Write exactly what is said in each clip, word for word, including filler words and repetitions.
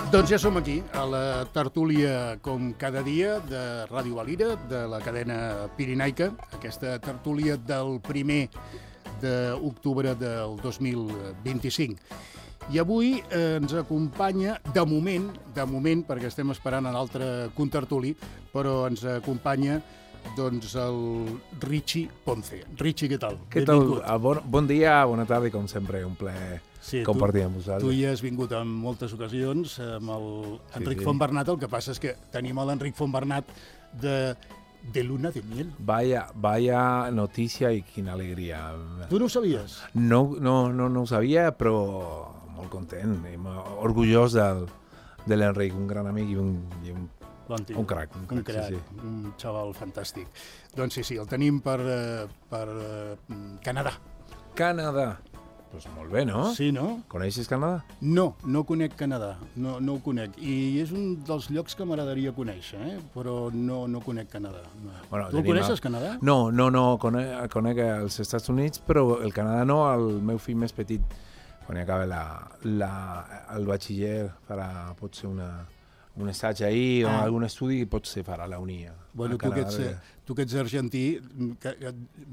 Doncs ja som aquí, a la tertúlia, com cada dia, de Ràdio Valira, de la cadena pirinaica, aquesta tertúlia del primer d'octubre del dos mil vint-i-cinc. I avui eh, ens acompanya, de moment, de moment, perquè estem esperant un altre contertuli, però ens acompanya doncs el Richie Ponce. Richie, què tal? Què tal? Bon, bon dia, bona tarda i com sempre, un plaer sí, compartir tu, amb vosaltres. Tu hi has vingut en moltes ocasions amb l'Enric sí, sí. Fontbernat, el que passa és que tenim l'Enric Fontbernat de, de Luna de Miel. Vaya, vaya notícia i quina alegria. Tu no ho sabies? No, no, no, no ho sabia, però molt content i orgullós del, de l'Enric, un gran amic i un, i un Bon un crac, un crac, un, crac sí, sí. un xaval fantàstic. Doncs sí, sí, el tenim per, per uh, Canadà. Canadà. Doncs pues molt bé, no? Sí, no? Coneixes Canadà? No, no conec Canadà, no, no ho conec. I és un dels llocs que m'agradaria conèixer, eh? Però no, no conec Canadà. No. Bueno, tu el coneixes, a... Canadà? No, no, no, conec, conec els Estats Units, però el Canadà no, el meu fill més petit, quan hi acaba la, la, el batxiller, farà potser una... un assaig ahir ah. o algun estudi i potser farà la unia. Bueno, tu que, ets, tu que ets argentí,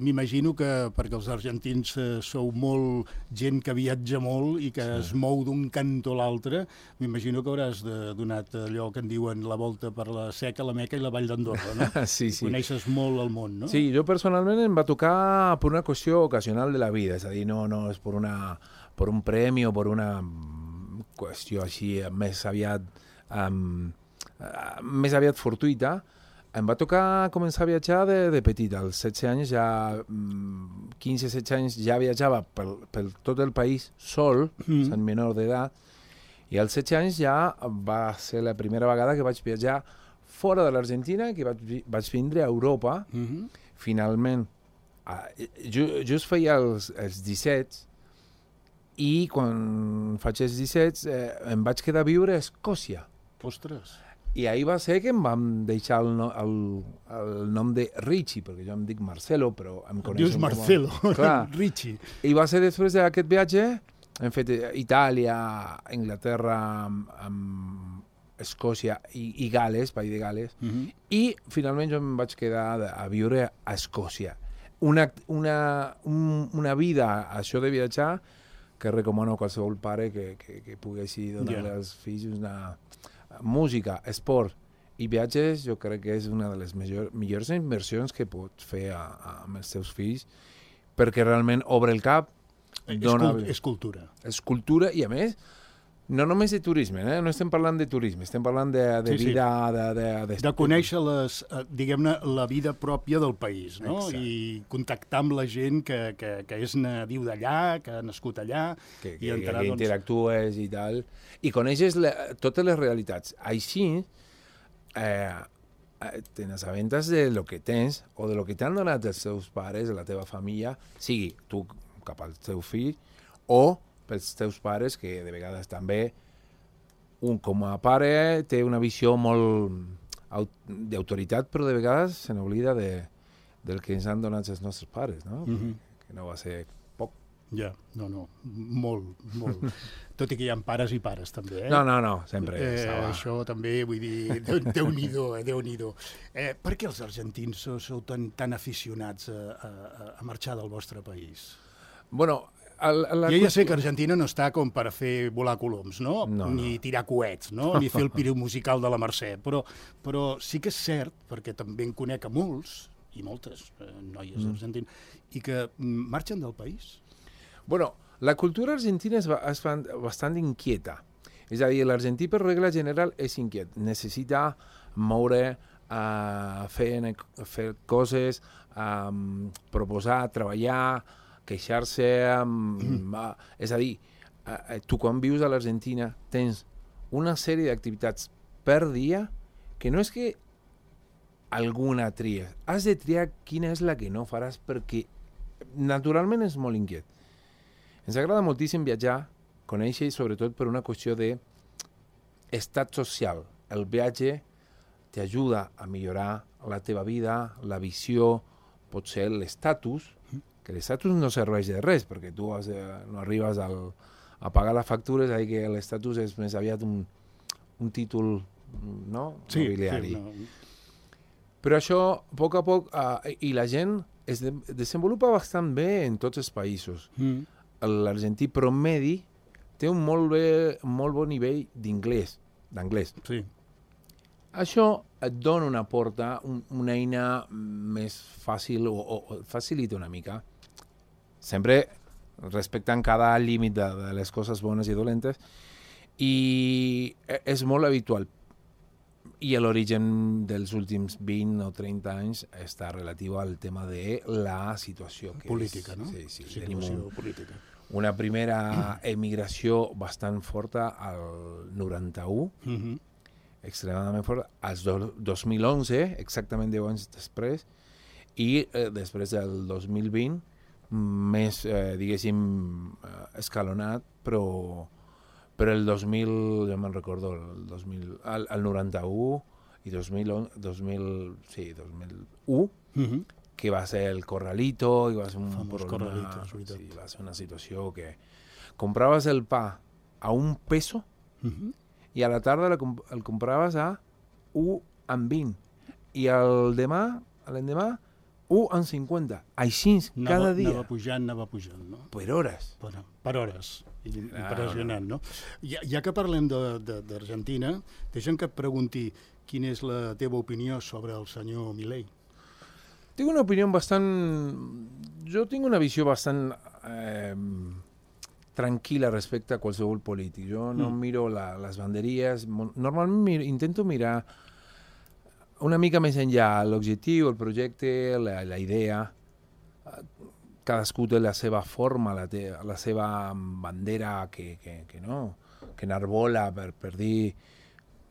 m'imagino que perquè els argentins sou molt gent que viatja molt i que sí. es mou d'un cantó a l'altre, m'imagino que hauràs de, donat allò que en diuen la volta per la Seca, la Meca i la Vall d'Andorra, no? sí, sí. Coneixes molt el món, no? Sí, jo personalment em va tocar per una qüestió ocasional de la vida, és a dir, no, no és per, una, per un premi o per una qüestió així més aviat Um, uh, més aviat fortuïta. Em va tocar començar a viatjar de, de petit. Als setze anys, ja, um, quinze setze anys, ja viatjava per, per tot el país sol, mm. sent menor d'edat, i als setze anys ja va ser la primera vegada que vaig viatjar fora de l'Argentina, que vaig, vaig vindre a Europa. Mm-hmm. Finalment, uh, ju, just feia els, els disset, i quan faig els disset eh, em vaig quedar a viure a Escòcia. Ostres. I ahir va ser que em vam deixar el, no, el, el nom de Richie, perquè jo em dic Marcelo, però em coneixen Dius Marcelo, com... Richie. I va ser després d'aquest viatge, hem fet Itàlia, Anglaterra, amb, amb Escòcia i, i Gales, país de Gales, uh-huh. i finalment jo em vaig quedar a viure a Escòcia. Una, una, un, una vida, això de viatjar, que recomano a qualsevol pare que, que, que pugui donar yeah. als fills una música, esport i viatges, jo crec que és una de les millor, millors inversions que pots fer a, a, amb els teus fills, perquè realment obre el cap, dona... És cultura. És cultura i, a més, no només de turisme, eh? No estem parlant de turisme, estem parlant de, de sí, vida... Sí. De, de, de, de conèixer les, diguem-ne, la vida pròpia del país, no? Exacte. I contactar amb la gent que, que, que és nadiu d'allà, que ha nascut allà... Que, i que, enterar, que doncs... interactues i tal, i coneixes la, totes les realitats. Així, eh, te n'assabentes de lo que tens o de lo que t'han donat els teus pares, la teva família, sigui tu cap al teu fill, o pels teus pares, que de vegades també un com a pare té una visió molt d'autoritat, però de vegades se n'oblida de, del que ens han donat els nostres pares, no? Mm-hmm. Que no va ser poc. Ja, no, no, molt, molt. Tot i que hi ha pares i pares, també, eh? No, no, no, sempre. Eh, això també, vull dir, Déu-n'hi-do, eh, Déu-n'hi-do. Eh, per què els argentins sou, sou tan, tan aficionats a, a, a marxar del vostre país? Bueno, El, la jo ja sé que Argentina no està com per fer volar coloms, no? no ni no. tirar coets, no? Ni fer el pireu musical de la Mercè, però, però sí que és cert, perquè també en conec a molts, i moltes eh, noies mm. argentines, i que marxen del país. Bueno, la cultura argentina és, és bastant inquieta. És a dir, l'argentí per regla general és inquiet. Necessita moure, uh, fer, fer coses, um, proposar, treballar, queixar-se, amb, mm. uh, és a dir, uh, tu quan vius a l'Argentina tens una sèrie d'activitats per dia que no és que alguna tria, has de triar quina és la que no faràs perquè naturalment és molt inquiet. Ens agrada moltíssim viatjar, conèixer i sobretot per una qüestió d'estat social. El viatge t'ajuda a millorar la teva vida, la visió, potser l'estatus, que l'estatus no serveix de res, perquè tu has, eh, no arribes al, a pagar les factures, és a dir que l'estatus és més aviat un, un títol, no? Sí, nobiliari. sí, no. Però això, a poc a poc, uh, i la gent es de desenvolupa bastant bé en tots els països. Mm. L'argentí promedi té un molt, bé, molt bon nivell d'inglès, d'anglès. Sí. Això et dona una porta, un, una eina més fàcil, o, o, o facilita una mica, sempre respectant cada límit de, de les coses bones i dolentes, i és molt habitual. I l'origen dels últims vint o trenta anys està relatiu al tema de la situació. Que política, és, no? Sí, sí. Situació Tenim un, política. una primera emigració bastant forta al noranta-u, Mm-hmm. extremadament forta, als do, dos mil onze, exactament deu anys després, i eh, després del dos mil vint, més, eh, diguéssim, eh, escalonat, però però el dos mil, jo me'n recordo, el dos mil, el, el noranta-u i dos mil onze, dos mil, sí, dos mil u, Mm-hmm. que va ser el Corralito, i va ser un Famós problema, Corralito, és veritat. sí, va ser una situació que compraves el pa a un peso Mm-hmm. i a la tarda el, el compraves a u amb vint i el demà, l'endemà, u amb cinquanta. Així, cada dia. Anava pujant, anava pujant, no? Per hores. Per, per hores. I, Ah, impressionant, no? Ja, ja que parlem d'Argentina, deixa'm que et pregunti quina és la teva opinió sobre el senyor Milei. Tinc una opinió bastant... Jo tinc una visió bastant eh, tranquil·la respecte a qualsevol polític. Jo no Mm. miro la, les banderies. Normalment mir, intento mirar una mica més enllà l'objectiu, el projecte, la, la idea. Cadascú té la seva forma, la, te, la seva bandera que, que, que no, que enarbola per, per dir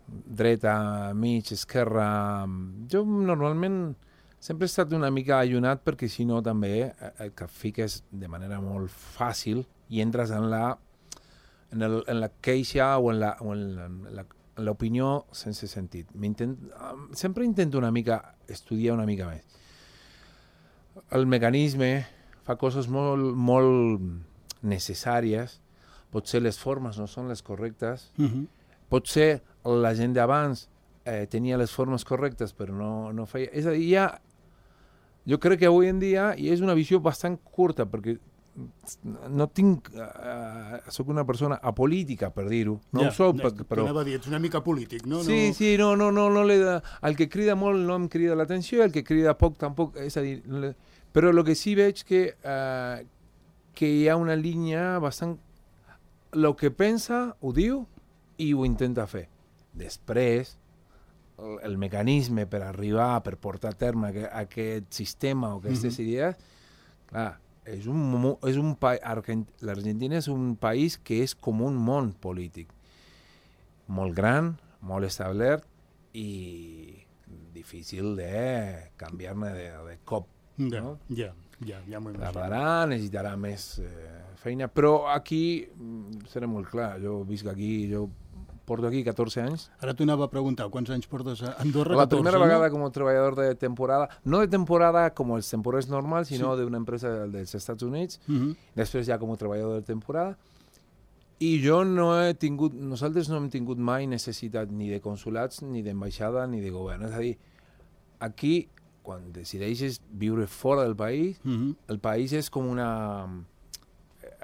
dreta, mig, esquerra. Jo normalment sempre he estat una mica allunat perquè si no també el que fiques de manera molt fàcil i entres en la en, el, en la queixa o en la, o en la, en la en l'opinió sense sentit. Sempre intento una mica estudiar una mica més. El mecanisme fa coses molt, molt necessàries, potser les formes no són les correctes, Mm-hmm. potser la gent d'abans eh, tenia les formes correctes però no, no feia... És a dir, ja, jo crec que avui en dia, i és una visió bastant curta, perquè no tinc... Uh, soc una persona apolítica, per dir-ho. No ja, ho soc, ja, però... Anava a dir, ets una mica polític, no? Sí, no... sí, no, no, no, no le da... El que crida molt no em crida l'atenció, el que crida poc tampoc, és a dir... No le... Però el que sí veig que, uh, que hi ha una línia bastant... El que pensa ho diu i ho intenta fer. Després, el, el mecanisme per arribar, per portar a terme aquest, aquest sistema o aquestes mm-hmm. idees, clar, és un, és un pa... l'Argentina és un país que és com un món polític. Molt gran, molt establert i difícil de canviar-ne de, de cop. Ja, no? ja, ja, ja m'ho imagino. Tardarà, necessitarà més eh, feina, però aquí, seré molt clar, jo visc aquí, jo porto aquí catorze anys. Ara t'ho anava a preguntar, quants anys portes a Andorra? La catorze, primera no? vegada como trabajador de temporada, no de temporada como el temporada normal, sino sí. de una empresa dels Estats Units, Uh-huh. després ja com a treballador de temporada, i jo no he tingut, nosaltres no hem tingut mai necessitat ni de consulats, ni d'ambaixada, ni de govern. És a dir, aquí, quan decideixes viure fora del país, Uh-huh. el país és com una...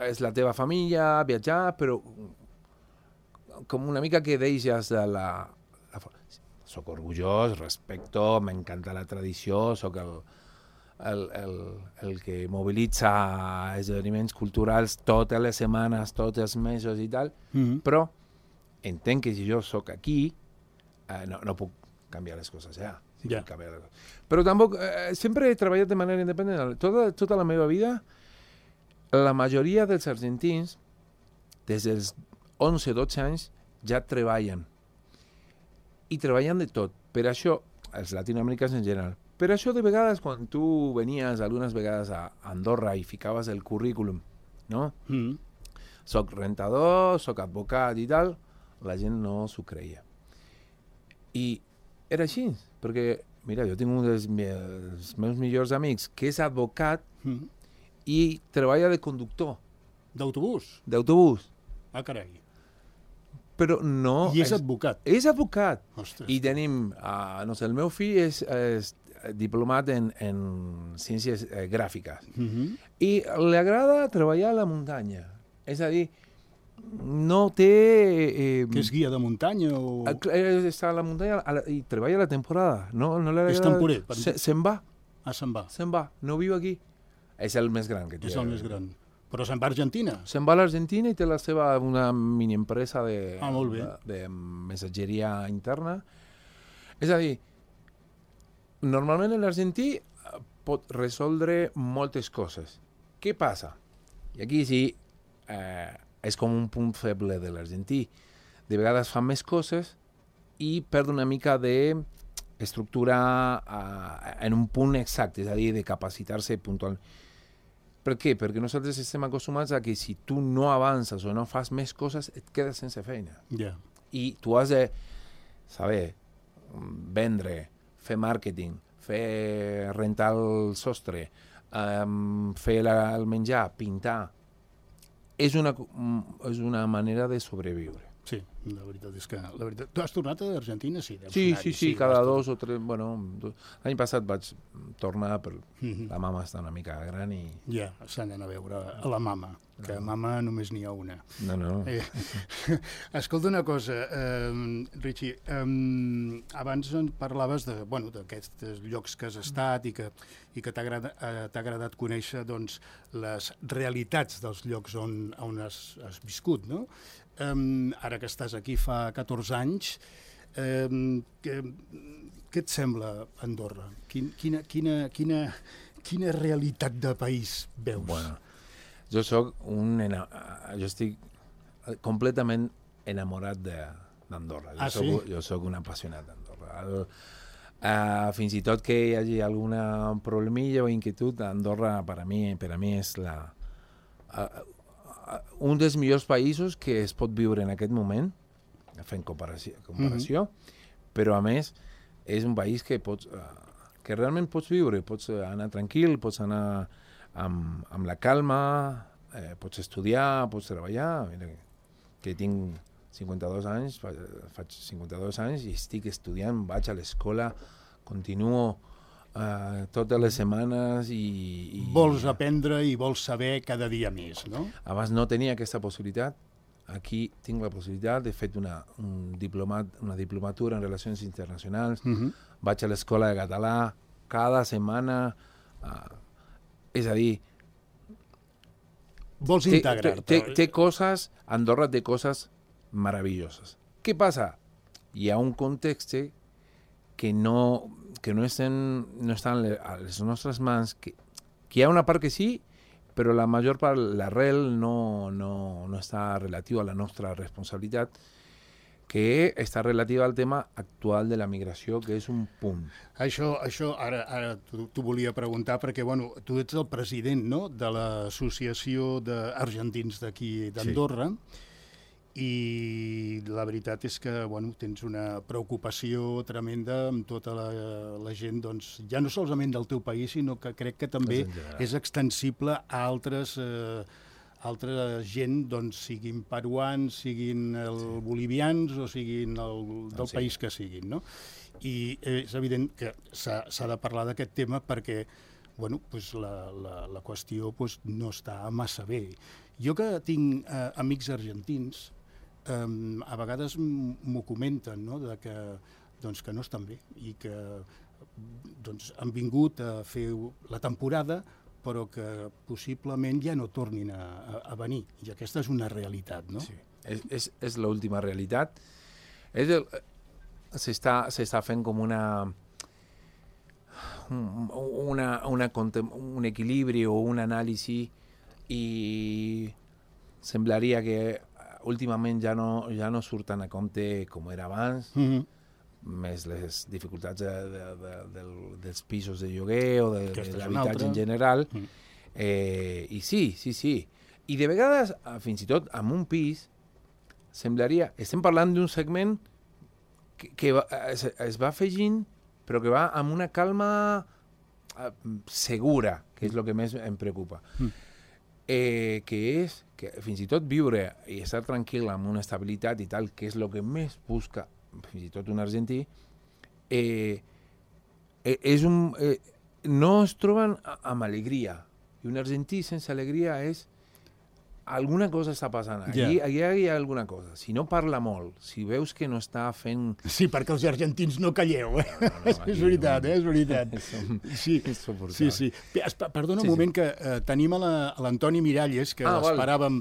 és la teva família, viatjar, però com una mica que deixes de la... la soc orgullós, respecto, m'encanta la tradició, soc el, el, el, el que mobilitza esdeveniments culturals totes les setmanes, tots els mesos i tal, Uh-huh. però entenc que si jo sóc aquí, eh, no, no puc canviar les coses ja. Sí, Ja. canviar les coses. Però tampoc, eh, sempre he treballat de manera independent. Tota, tota la meva vida, la majoria dels argentins, des dels onze dotze anys, ja treballen. I treballen de tot. Per això, els latinoamericans en general, per això de vegades, quan tu venies algunes vegades a Andorra i ficaves el currículum, no? Uh-huh. Soc rentador, soc advocat i tal, la gent no s'ho creia. I era així, perquè, mira, jo tinc un dels meus, meus millors amics que és advocat Uh-huh. i treballa de conductor D'autobús? d'autobús. Ah, carai. però no... I és advocat. És advocat. Ostres. I tenim, uh, no sé, el meu fill és, és diplomat en, en ciències eh, gràfiques. Uh-huh. I li agrada treballar a la muntanya. És a dir, no té... Eh, Que és guia de muntanya o... Està a la muntanya a la, i treballa a la temporada. No, no li agrada... És temporer. Per... Se, se'n va. Ah, se'n va. Se'n va. No viu aquí. És el més gran que té. És el més gran. Però se'n va a Argentina. Se'n va a l'Argentina i té la seva una mini empresa de, ah, molt bé. de, de missatgeria interna. És a dir, normalment l'argentí pot resoldre moltes coses. Què passa? I aquí sí, eh, és com un punt feble de l'argentí. De vegades fa més coses i perd una mica d'estructura uh, en un punt exacte, és a dir, de capacitar-se puntual. Per què? Perquè nosaltres estem acostumats a que si tu no avances o no fas més coses, et quedes sense feina. Yeah. I tu has de saber vendre, fer màrqueting, fer rentar el sostre, um, fer la, el menjar, pintar. És una, és una manera de sobreviure. Sí, la veritat és que... La veritat... Tu has tornat a Argentina? Sí, sí, sí, sí, sí, cada dos o tres... Bueno, l'any passat vaig tornar, però mm-hmm. la mama està una mica gran i... Ja, s'han d'anar a veure a la mama, que no. Mama només n'hi ha una. No, no. Eh, escolta una cosa, eh, Richie, eh, abans parlaves de, bueno, d'aquests llocs que has estat i que, i que t'ha agradat, eh, t'ha agradat conèixer doncs, les realitats dels llocs on, on has, has viscut, no? Um, ara que estàs aquí fa catorze anys, um, què, què et sembla Andorra? Quin, quina, quina, quina, quina realitat de país veus? Bueno, jo soc un... Ena... Jo estic completament enamorat d'Andorra. Jo, ah, soc, sí? jo soc un apassionat d'Andorra. El, uh, fins i tot que hi hagi alguna problemilla o inquietud, Andorra per a mi, per a mi és la... Uh, un dels millors països que es pot viure en aquest moment, fent comparació, comparació mm-hmm. però a més és un país que pots, uh, que realment pots viure, pots anar tranquil, pots anar amb, amb la calma, eh, pots estudiar, pots treballar. Mira, que tinc cinquanta-dos anys, fa, faig cinquanta-dos anys i estic estudiant, vaig a l'escola, continuo Uh, totes les setmanes i, i... Vols aprendre i vols saber cada dia més, no? Abans no tenia aquesta possibilitat. Aquí tinc la possibilitat. He fet una, un diplomat, una diplomatura en Relacions Internacionals. Uh-huh. Vaig a l'escola de català cada setmana. Uh, és a dir... Vols integrar-te. Té, té, té coses... Andorra té coses meravelloses. Què passa? Hi ha un context que no... que no estan, no estan a les nostres mans, que, que hi ha una part que sí, però la major part, l'arrel no, no, no està relatiu a la nostra responsabilitat, que està relativa al tema actual de la migració, que és un punt. Això, això ara, ara t'ho volia preguntar, perquè bueno, tu ets el president, no?, de l'Associació d'Argentins d'aquí d'Andorra, sí. I la veritat és que bueno, tens una preocupació tremenda amb tota la, la gent, doncs, ja no solament del teu país, sinó que crec que també és extensible a altres, eh, altra gent, doncs, siguin peruans, siguin el sí. bolivians o siguin el, del sí. país que siguin, no? I és evident que s'ha de parlar d'aquest tema perquè bueno, pues la, la, la qüestió pues, no està massa bé. Jo que tinc eh, amics argentins, Um, a vegades m'ho comenten, no?, de que, doncs, que no estan bé i que doncs, han vingut a fer la temporada però que possiblement ja no tornin a, a, a venir. I aquesta és una realitat, no? Sí, és, és, és l'última realitat. S'està fent com una, una, una un equilibri o un anàlisi i semblaria que últimament ja no, ja no surten a compte com era abans, mm-hmm. més les dificultats de, de, de, de, dels pisos de lloguer o de, de l'habitatge en general. Mm. Eh, I sí, sí, sí. I de vegades, fins i tot amb un pis, semblaria... Estem parlant d'un segment que, que va, es, es va afegint, però que va amb una calma uh, segura, que és el que més em preocupa. Mm. eh, que és que fins i tot viure i estar tranquil amb una estabilitat i tal, que és el que més busca fins i tot un argentí, eh, eh, és un, eh, no es troben amb alegria. I un argentí sense alegria és alguna cosa està passant. Allí, allí hi ha alguna cosa. Si no parla molt, si veus que no està fent... Sí, perquè els argentins no calleu, eh? No, no, no, és veritat, eh? És veritat. Sí, sí, sí. Perdona un moment que eh, tenim a l'Antoni Miralles, que ah, l'esperàvem...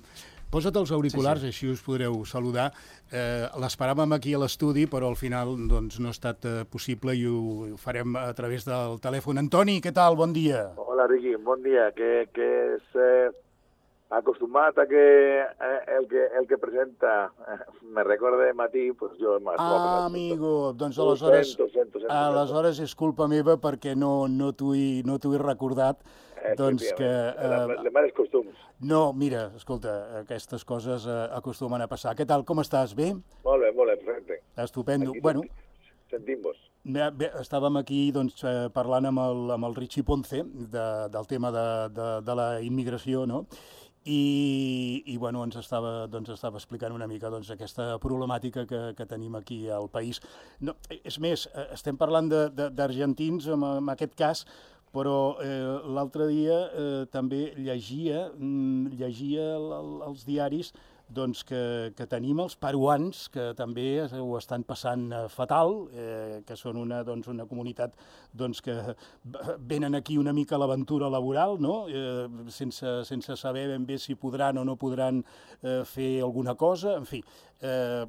Posa't els auriculars, sí, sí. Així us podreu saludar. Eh, L'esperàvem aquí a l'estudi, però al final doncs, no ha estat eh, possible i ho, ho farem a través del telèfon. Antoni, què tal? Bon dia. Hola, Riqui, bon dia. Que, que és... Eh... acostumat a que eh, el que el que presenta eh, me recorda de matí, pues jo... Ah, amigo, doncs aleshores, sento, sento, sento, aleshores és culpa meva perquè no, no t'ho he, no t'ho he recordat. Eh, doncs que... Eh, de males costums. No, mira, escolta, aquestes coses eh, acostumen a passar. Què tal, com estàs? Bé? Molt bé, molt bé, perfecte. Estupendo. Aquí bueno, sentim-vos. Bé, bé, estàvem aquí doncs, eh, parlant amb el, amb el Richie Ponce de, del tema de, de, de la immigració, no? I, i bueno, ens estava, doncs, estava explicant una mica doncs, aquesta problemàtica que, que tenim aquí al país. No, és més, estem parlant d'argentins en, en aquest cas, però eh, l'altre dia eh, també llegia, llegia els diaris doncs, que, que tenim els peruans, que també ho estan passant fatal, eh, que són una, doncs, una comunitat doncs, que venen aquí una mica a l'aventura laboral, no? eh, sense, sense saber ben bé si podran o no podran eh, fer alguna cosa, en fi. Eh,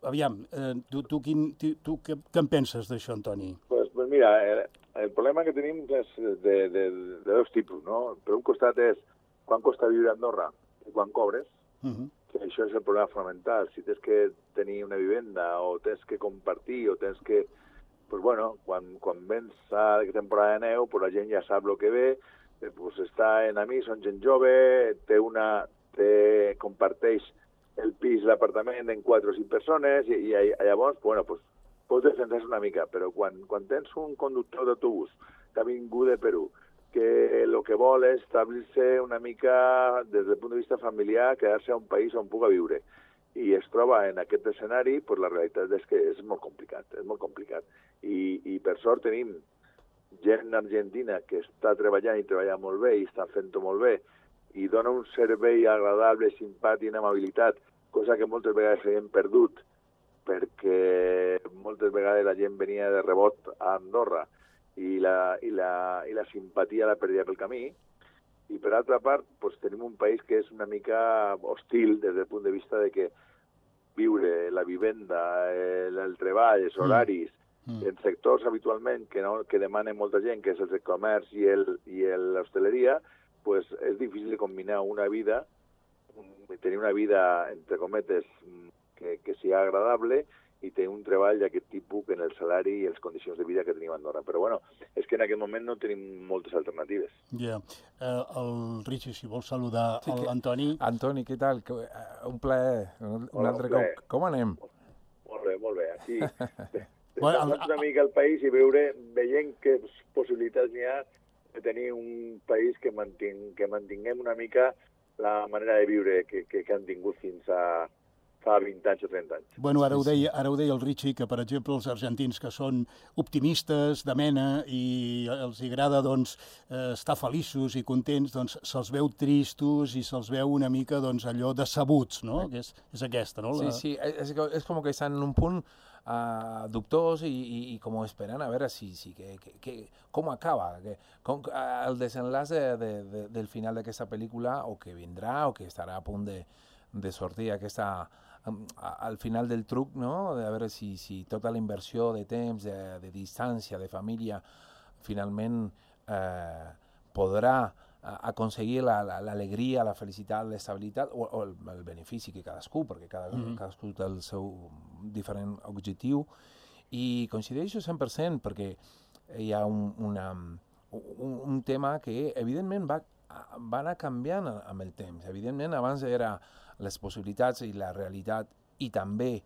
aviam, eh, tu, tu, quin, tu, tu què, què en penses d'això, Antoni? Pues, pues mira, el, el problema que tenim és de, de, de dos tipus, no? Per un costat és quan costa viure a Andorra i quan cobres, uh-huh. que això és el problema fonamental. Si tens que tenir una vivenda o tens que compartir o tens que... Pues bueno, quan, quan vens a temporada de neu, pues la gent ja sap el que ve, pues està en amics, són gent jove, té una... Té, comparteix el pis, l'apartament en quatre o cinc persones i, i llavors, bueno, pues, pots defensar-se una mica, però quan, quan tens un conductor d'autobús que ha vingut de Perú, que el que vol és establir-se una mica des del punt de vista familiar, quedar-se a un país on puga viure. I es troba en aquest escenari, pues la realitat és que és molt complicat, és molt complicat. I, i per sort tenim gent argentina que està treballant i treballa molt bé i està fent-ho molt bé i dona un servei agradable, simpàtic, amabilitat, cosa que moltes vegades s'havien perdut perquè moltes vegades la gent venia de rebot a Andorra i la, i la, i la simpatia la perdia pel camí. I per altra part, pues, tenim un país que és una mica hostil des del punt de vista de que viure, la vivenda, el, el treball, els horaris, mm. en sectors habitualment que, no, que demanen molta gent, que és el comerç i l'hostaleria, pues, és difícil combinar una vida, tenir una vida, entre cometes, que, que sigui agradable i tenir un treball d'aquest tipus en el salari i les condicions de vida que tenim a Andorra. Però bueno, és que en aquest moment no tenim moltes alternatives. Ja. Yeah. Uh, el Richie, si vols saludar sí, l'Antoni. Antoni, què tal? Un plaer. Un Hola, altre un plaer. Com, com anem? Molt bé, molt bé. Aquí, bueno, el... una mica al país i veure, veient que possibilitats n'hi ha de tenir un país que, manting, que mantinguem una mica la manera de viure que, que, que han tingut fins a fa vint anys o trenta anys. Bueno, ara ho deia, ara ho deia el Richie, que per exemple els argentins que són optimistes de mena i els agrada doncs, eh, estar feliços i contents, doncs se'ls veu tristos i se'ls veu una mica doncs, allò decebuts, no? Que és, és aquesta, no? Sí, sí, és, és com que estan en un punt uh, dubtós i, i, i com esperant a veure si, si que, que, que, com acaba, que, com, el desenllaç de, de, de, del final d'aquesta pel·lícula o que vindrà o que estarà a punt de, de sortir aquesta... al final del truc, no? De veure si, si tota la inversió de temps, de, de distància, de família, finalment eh, podrà aconseguir l'alegria, la, la felicitat, l'estabilitat o, o el, el benefici que cadascú, perquè cada, mm-hmm. cadascú té el seu diferent objectiu. I coincideixo cent per cent perquè hi ha un, una, un, un tema que evidentment va, va anar canviant amb el temps. Evidentment abans era les possibilitats i la realitat i també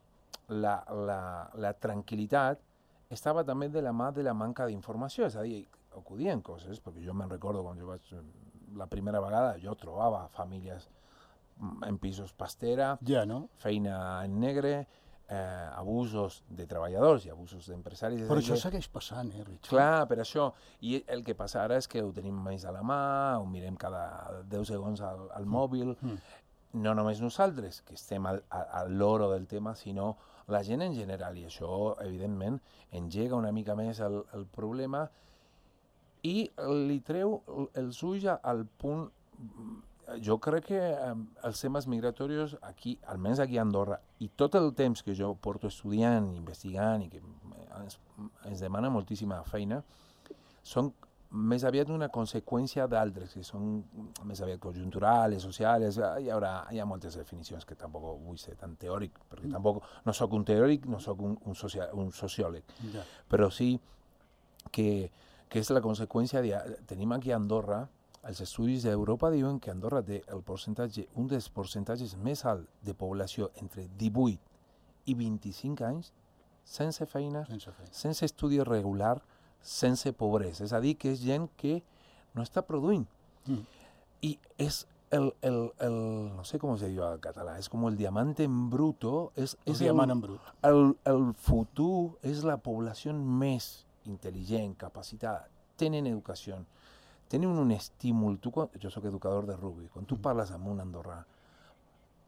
la, la, la tranquil·litat estava també de la mà de la manca d'informació, és a dir, acudien coses, perquè jo me'n recordo quan jo vaig la primera vegada jo trobava famílies en pisos pastera, ja, no? feina en negre, eh, abusos de treballadors i abusos d'empresaris. Però això que... segueix passant, eh, Richie? Clar, per això. I el que passa ara és que ho tenim més a la mà, ho mirem cada deu segons al, al mòbil, mm. no només nosaltres, que estem al, al loro del tema, sinó la gent en general, i això, evidentment, engega una mica més el, el problema i li treu els ulls al punt. Jo crec que eh, els temes migratoris aquí, almenys aquí a Andorra, i tot el temps que jo porto estudiant, investigant i que ens, ens demana moltíssima feina, són més aviat una conseqüència d'altres, que són més aviat conjunturals, socials. Hi haurà, hi ha moltes definicions que tampoc vull ser tan teòric, perquè tampoc no sóc un teòric, no sóc un, un, socia, un sociòleg, ja. Però sí que, que és la conseqüència de... Tenim aquí a Andorra, els estudis d'Europa diuen que Andorra té el percentatge, un dels percentatges més alt de població entre divuit i vint-i-cinc anys sense feina, sense, feina. sense estudi regular, sense pobresa. És a dir, que és gent que no està produint. Mm. I és el, el, el, no sé com se diu en català, és com el diamante en bruto. És, el és diamant el, en brut. El, el futur és la població més intel·ligent, capacitada, tenen educació, tenen un estímul. Tu, quan, jo soc educador de rugby, quan tu mm. parles amb un andorrà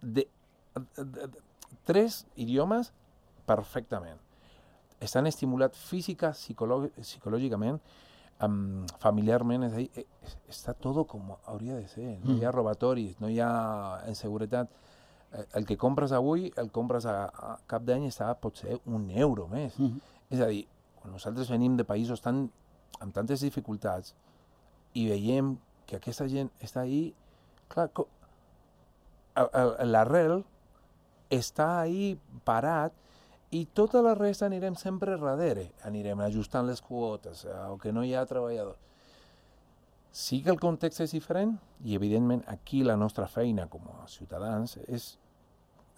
de, de, de, de tres idiomes perfectament, estan estimulats física, psicològicament, um, familiarment, és a dir, està tot com hauria de ser. No hi ha robatoris, no hi ha inseguretat. El que compres avui, el compres a, a cap d'any, està potser un euro més. Mm. És a dir, quan nosaltres venim de països tan, amb tantes dificultats i veiem que aquesta gent està ahí, clar, l'arrel està ahí parat i tota la resta anirem sempre darrere, anirem ajustant les quotes, o que no hi ha treballadors. Sí que el context és diferent i, evidentment, aquí la nostra feina com a ciutadans és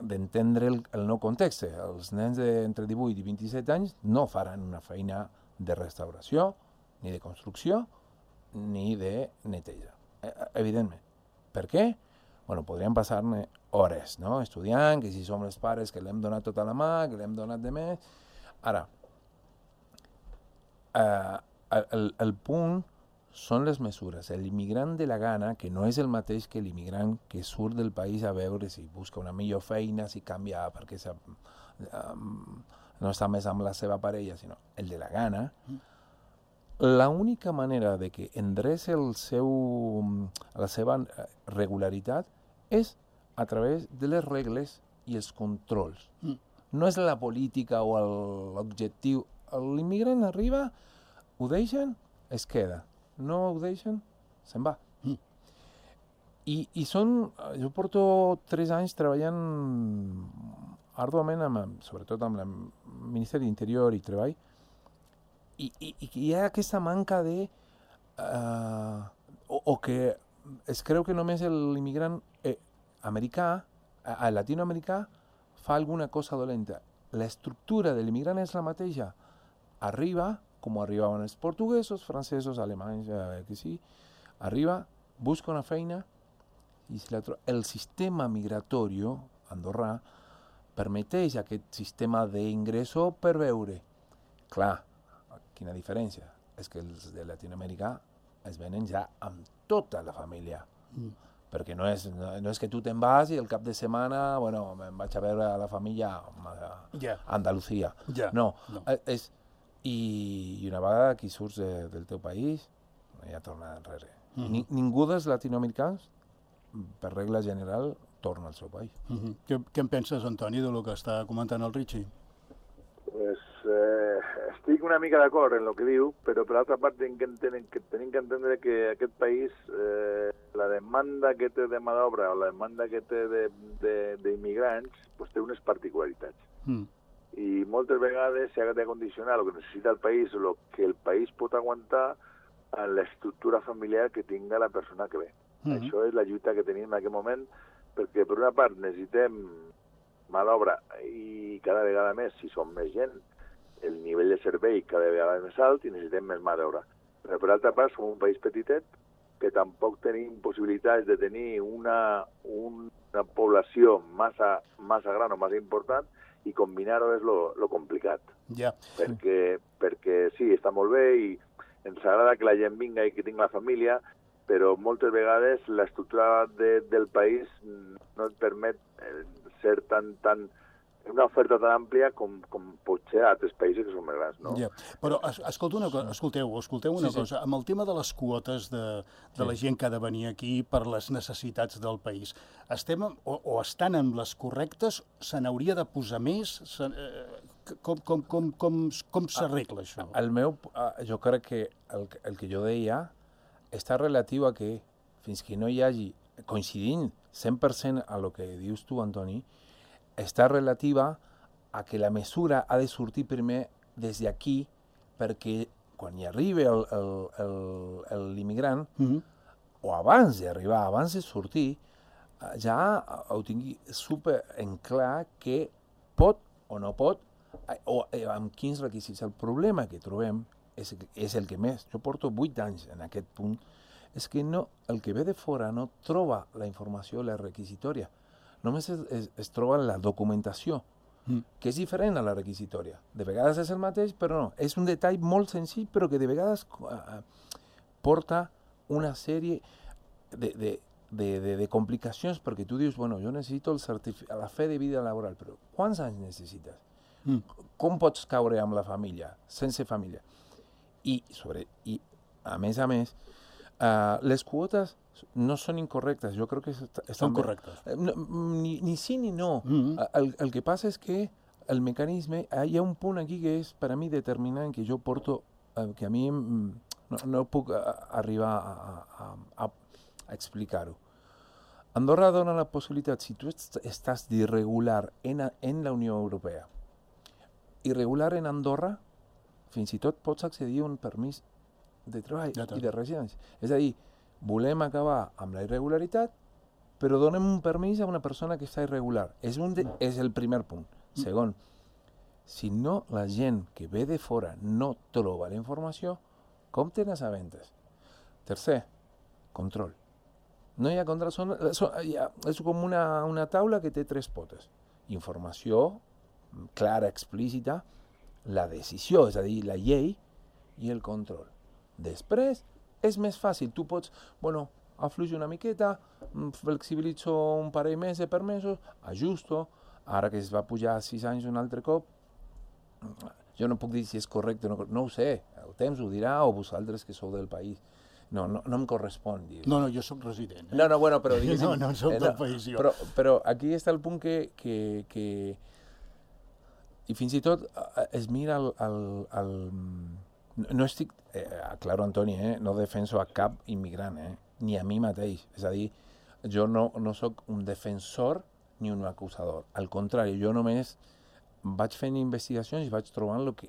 d'entendre el, el nou context. Els nens d'entre divuit i vint-i-set anys no faran una feina de restauració, ni de construcció, ni de neteja, evidentment. Per què? Bueno, podríem passar-ne hores, no? Estudiant, que si som els pares que l'hem donat tota la mà, que l'hem donat de més. Ara, eh, el, el punt són les mesures. L'immigrant de la gana, que no és el mateix que l'immigrant que surt del país a veure si busca una millor feina, si canvia perquè um, no està més amb la seva parella, sinó el de la gana, l'única manera de que endreci el seu, la seva regularitat és a través de les regles i els controls. Mm. No és la política o l'objectiu. L'immigrant arriba, ho deixen, es queda. No ho deixen, se'n va. Mm. I, i són... Jo porto tres anys treballant arduament, amb, sobretot amb el Ministeri d'Interior i Treball, i, i, i hi ha aquesta manca de... Uh, o, o que es creu que només l'immigrant eh, americà, a latinoamericà, fa alguna cosa dolenta. L'estructura de l'immigrant és la mateixa. Arriba, com arribaven els portuguesos, francesos, alemanys, eh, que sí, arriba, busca una feina, i si la tro... el sistema migratori andorrà permeteix aquest sistema d'ingresso per veure. Clar, quina diferència? És que els de Latinoamèrica es venen ja amb tota la família. Mm. Perquè no és, no, no és que tu te'n vas i el cap de setmana, bueno, me'n vaig a veure a la família a yeah. Andalucía. Yeah. No, no. És, i, i una vegada que surts de, del teu país, no hi ha tornada enrere. Mm-hmm. Ni, ningú dels latinoamericans, per regla general, torna al seu país. Mm-hmm. Què, què en penses, Antoni, de lo que està comentant el Richie? Pues, eh, estic una mica d'acord en el que diu, però per altra part tenim que entendre que, tenim que, entendre que aquest país, eh, la demanda que té de mà d'obra o la demanda que té d'immigrants, pues, té unes particularitats. Mm. I moltes vegades s'ha de condicionar el que necessita el país o el que el país pot aguantar a l'estructura familiar que tinga la persona que ve. Mm-hmm. Això és la lluita que tenim en aquest moment, perquè per una part necessitem mà d'obra i cada vegada més, si som més gent, el nivell de servei cada vegada és més alt i necessitem més mà d'obra. Però per altra part som un país petitet que tampoc tenim possibilitats de tenir una, una població massa, massa gran o massa important, i combinar-ho és lo, lo complicat. Ja. Perquè, perquè sí, està molt bé i ens agrada que la gent vinga i que tingui la família, però moltes vegades l'estructura de, del país no et permet ser tan, tan, una oferta tan àmplia com, com pot ser a altres països que són més grans, no? Ja. Però es, escolta una cosa, escolteu, escolteu una sí, cosa, sí. Amb el tema de les quotes de, de sí. la gent que ha de venir aquí per les necessitats del país, estem o, o estan en les correctes, se n'hauria de posar més? Se, eh, com com, com, com, com s'arregla això? El meu, jo crec que el, el que jo deia està relatiu a que fins que no hi hagi, coincidint cent per cent a lo que dius tu, Antoni, està relativa a que la mesura ha de sortir primer des d'aquí, perquè quan hi arribi l'immigrant, mm -hmm. o abans d'arribar, abans de sortir, ja ho tingui super en clar que pot o no pot, o amb quins requisits. El problema que trobem és, és el que més. Jo porto vuit anys en aquest punt, és que no, el que ve de fora no troba la informació, la requisitòria. Només es, es, es troba la documentació, mm. que és diferent a la requisitòria. De vegades és el mateix, però no. És un detall molt senzill, però que de vegades uh, porta una sèrie de, de, de, de, de complicacions, perquè tu dius, bueno, jo necessito el la fe de vida laboral, però quants anys necessites? Mm. Com pots caure amb la família, sense família? I, sobre, i a més a més, uh, les quotes no són incorrectes, jo crec que estan són correctes. No, ni, ni sí ni no. Mm-hmm. el, el que passa és que el mecanisme, hi ha un punt aquí que és per a mi determinant, que jo porto, eh, que a mi no, no puc a, arribar a, a, a, a explicar-ho. Andorra dona la possibilitat, si tu estàs d'irregular en, en la Unió Europea, irregular en Andorra, fins i tot pots accedir a un permís de treball ja i de residència. És a dir, volem acabar amb la irregularitat, però donem un permís a una persona que està irregular. És, un de, és el primer punt. Segon, si no la gent que ve de fora no troba la informació, com te n'assabentes? Tercer, control. No hi ha control, són, són, ha, és com una, una taula que té tres potes. Informació clara, explícita, la decisió, és a dir, la llei, i el control. Després, és més fàcil. Tu pots, bueno, afluixo una miqueta, flexibilitzo un parell més de permesos, ajusto, ara que es va pujar a sis anys un altre cop, jo no puc dir si és correcte o no, no ho sé, el temps ho dirà o vosaltres que sou del país. No, no, no em correspon dir. No, no, jo sóc resident. Eh? No, no, bueno, però diguéssim... No, no sóc eh, del no, país, jo. Però, però aquí està el punt que... que, que i fins i tot es mira el... el, el no estic... Eh, aclaro, Antoni, eh, no defenso a cap immigrant, eh, ni a mi mateix. És a dir, jo no, no sóc un defensor ni un acusador. Al contrari, jo només vaig fent investigacions i vaig trobant el que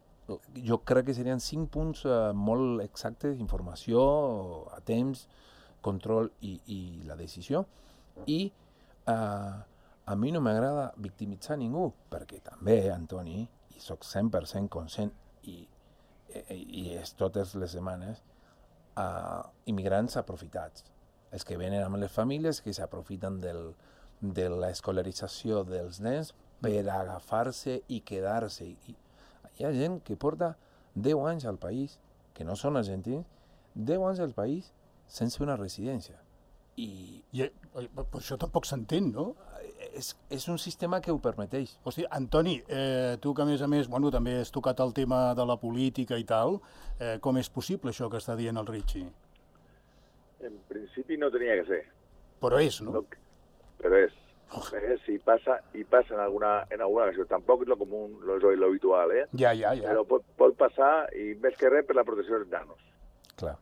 jo crec que serien cinc punts uh, molt exactes d'informació, a temps, control i, i la decisió. I uh, a mi no m'agrada victimitzar ningú, perquè també, Antoni, i soc cent per cent conscient, i, i, i és totes les setmanes, uh, immigrants aprofitats. Els que venen amb les famílies, que s'aprofiten del, de l'escolarització dels nens per agafar-se i quedar-se. I, hi ha gent que porta deu anys al país, que no són argentins, deu anys al país sense una residència. I, I per això tampoc s'entén, no? És, és un sistema que ho permeteix. Hosti, Antoni, eh, tu que a més a més bueno, també has tocat el tema de la política i tal, eh, com és possible això que està dient el Richie? En principi no tenia que ser. Però és, no? no però és. Oh. Eh, si passa, i passa en alguna, en alguna ocasió. Tampoc és lo común, lo, lo habitual, eh? Ja, ja, ja. Però pot, pot passar, i més que res, per la protecció dels nanos. Clar.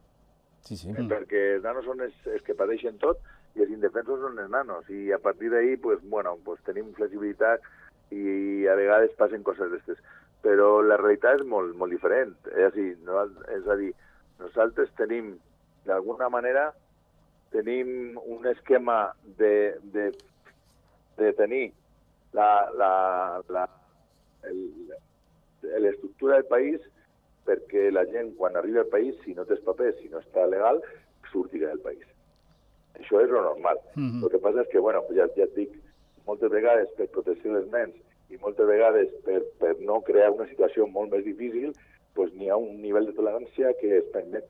Sí, sí. Eh, perquè els nanos són els, els que pateixen tot, i els indefensos són els nanos. I a partir d'ahí, pues, bueno, pues, tenim flexibilitat i a vegades passen coses d'aquestes. Però la realitat és molt, molt diferent. És a dir, no, és a dir, nosaltres tenim, d'alguna manera, tenim un esquema de, de, de tenir la, la, la, l'estructura del país perquè la gent, quan arriba al país, si no tens papers, si no està legal, surti del país. Això és lo normal. Mm-hmm. El que passa és que, bueno, ja, ja et dic, moltes vegades per protecció dels nens i moltes vegades per, per no crear una situació molt més difícil, doncs n'hi ha un nivell de tolerància que es permet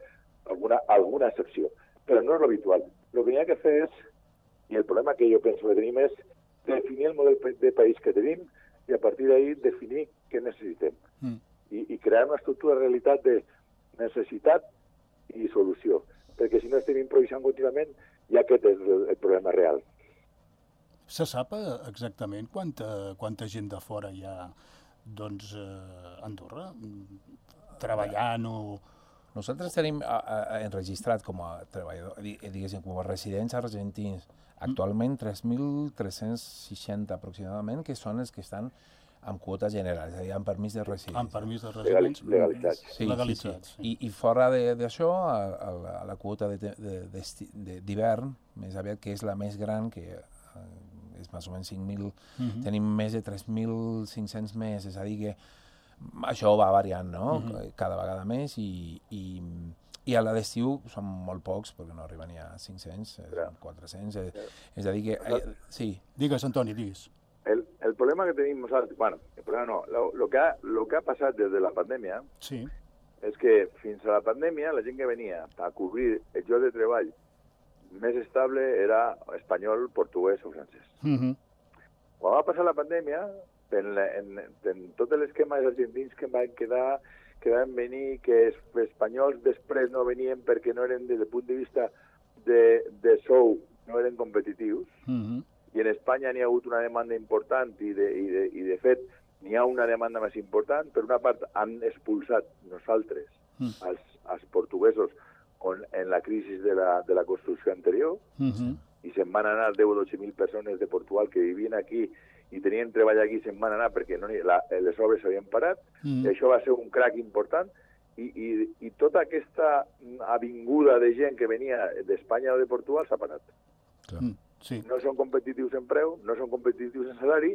alguna, alguna excepció. Però no és l'habitual. El que hi ha que fer és, i el problema que jo penso que tenim és definir el model de país que tenim i a partir d'ahir definir què necessitem. Mm. I, I crear una estructura de realitat de necessitat i solució. Perquè si no estem improvisant contínuament, ja aquest és el, el problema real. Se sap exactament quanta, quanta gent de fora hi ha doncs, a Andorra treballant o... Nosaltres tenim a, a, enregistrat com a treballador, diguéssim, com a residents argentins, actualment tres mil tres-cents seixanta aproximadament, que són els que estan amb quota general, és a dir, amb permís de residència. Amb permís de residència. Legalitzats. Sí, legalitzats. Sí, sí. I, I fora d'això, a, a, la, a la quota d'hivern, més aviat, que és la més gran, que eh, és més o menys cinc mil, uh-huh. tenim més de tres mil cinc-cents més, és a dir que això va variant, no? Uh-huh. Cada vegada més i, i, i a l'estiu són molt pocs, perquè no arriben ni a cinc-cents, yeah. quatre-cents, és, yeah. és a dir que... Eh, sí. Digues, Antoni, digues. El, el problema que tenim nosaltres, bueno, el problema no, lo, lo, que ha, lo que ha passat des de la pandèmia sí. és que fins a la pandèmia la gent que venia a cobrir el lloc de treball més estable era espanyol, portuguès o francès. Uh-huh. Quan va passar la pandèmia, en, en, en tot l'esquema dels argentins que van quedar, que van venir, que els espanyols després no venien perquè no eren, des del punt de vista de, de sou, no eren competitius, uh-huh. i en Espanya n'hi ha hagut una demanda important i de, i de, i de fet n'hi ha una demanda més important. Per una part han expulsat nosaltres, uh-huh. els, els portuguesos, on, en la crisi de la, de la construcció anterior, uh-huh. i se'n van anar deu o dotze mil persones de Portugal que vivien aquí i tenien treball aquí, se'n van anar perquè no, la, les obres s'havien parat, mm. i això va ser un crac important, i, i, i tota aquesta avinguda de gent que venia d'Espanya o de Portugal s'ha parat. Mm. Sí. No són competitius en preu, no són competitius en salari,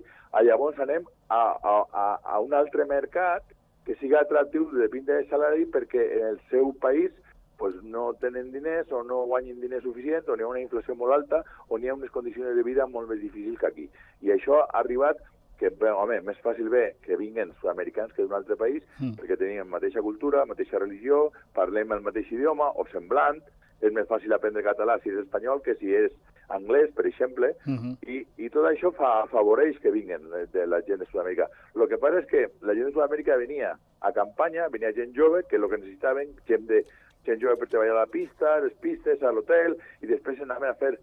llavors anem a, a, a, a un altre mercat que siga atractiu des del punt de salari perquè en el seu país pues no tenen diners o no guanyen diners suficients o n'hi ha una inflació molt alta o n'hi ha unes condicions de vida molt més difícils que aquí. I això ha arribat que, bé, home, més fàcil bé que vinguen sud-americans que d'un altre país mm. perquè tenim la mateixa cultura, la mateixa religió, parlem el mateix idioma o semblant, és més fàcil aprendre català si és espanyol que si és anglès, per exemple, mm-hmm. i, i tot això fa, afavoreix que vinguen de la gent de Sud-amèrica. El que passa és que la gent de Sud-amèrica venia a campanya, venia gent jove, que el que necessitaven, gent de gent jove per treballar a la pista, a les pistes, a l'hotel, i després anaven a fer...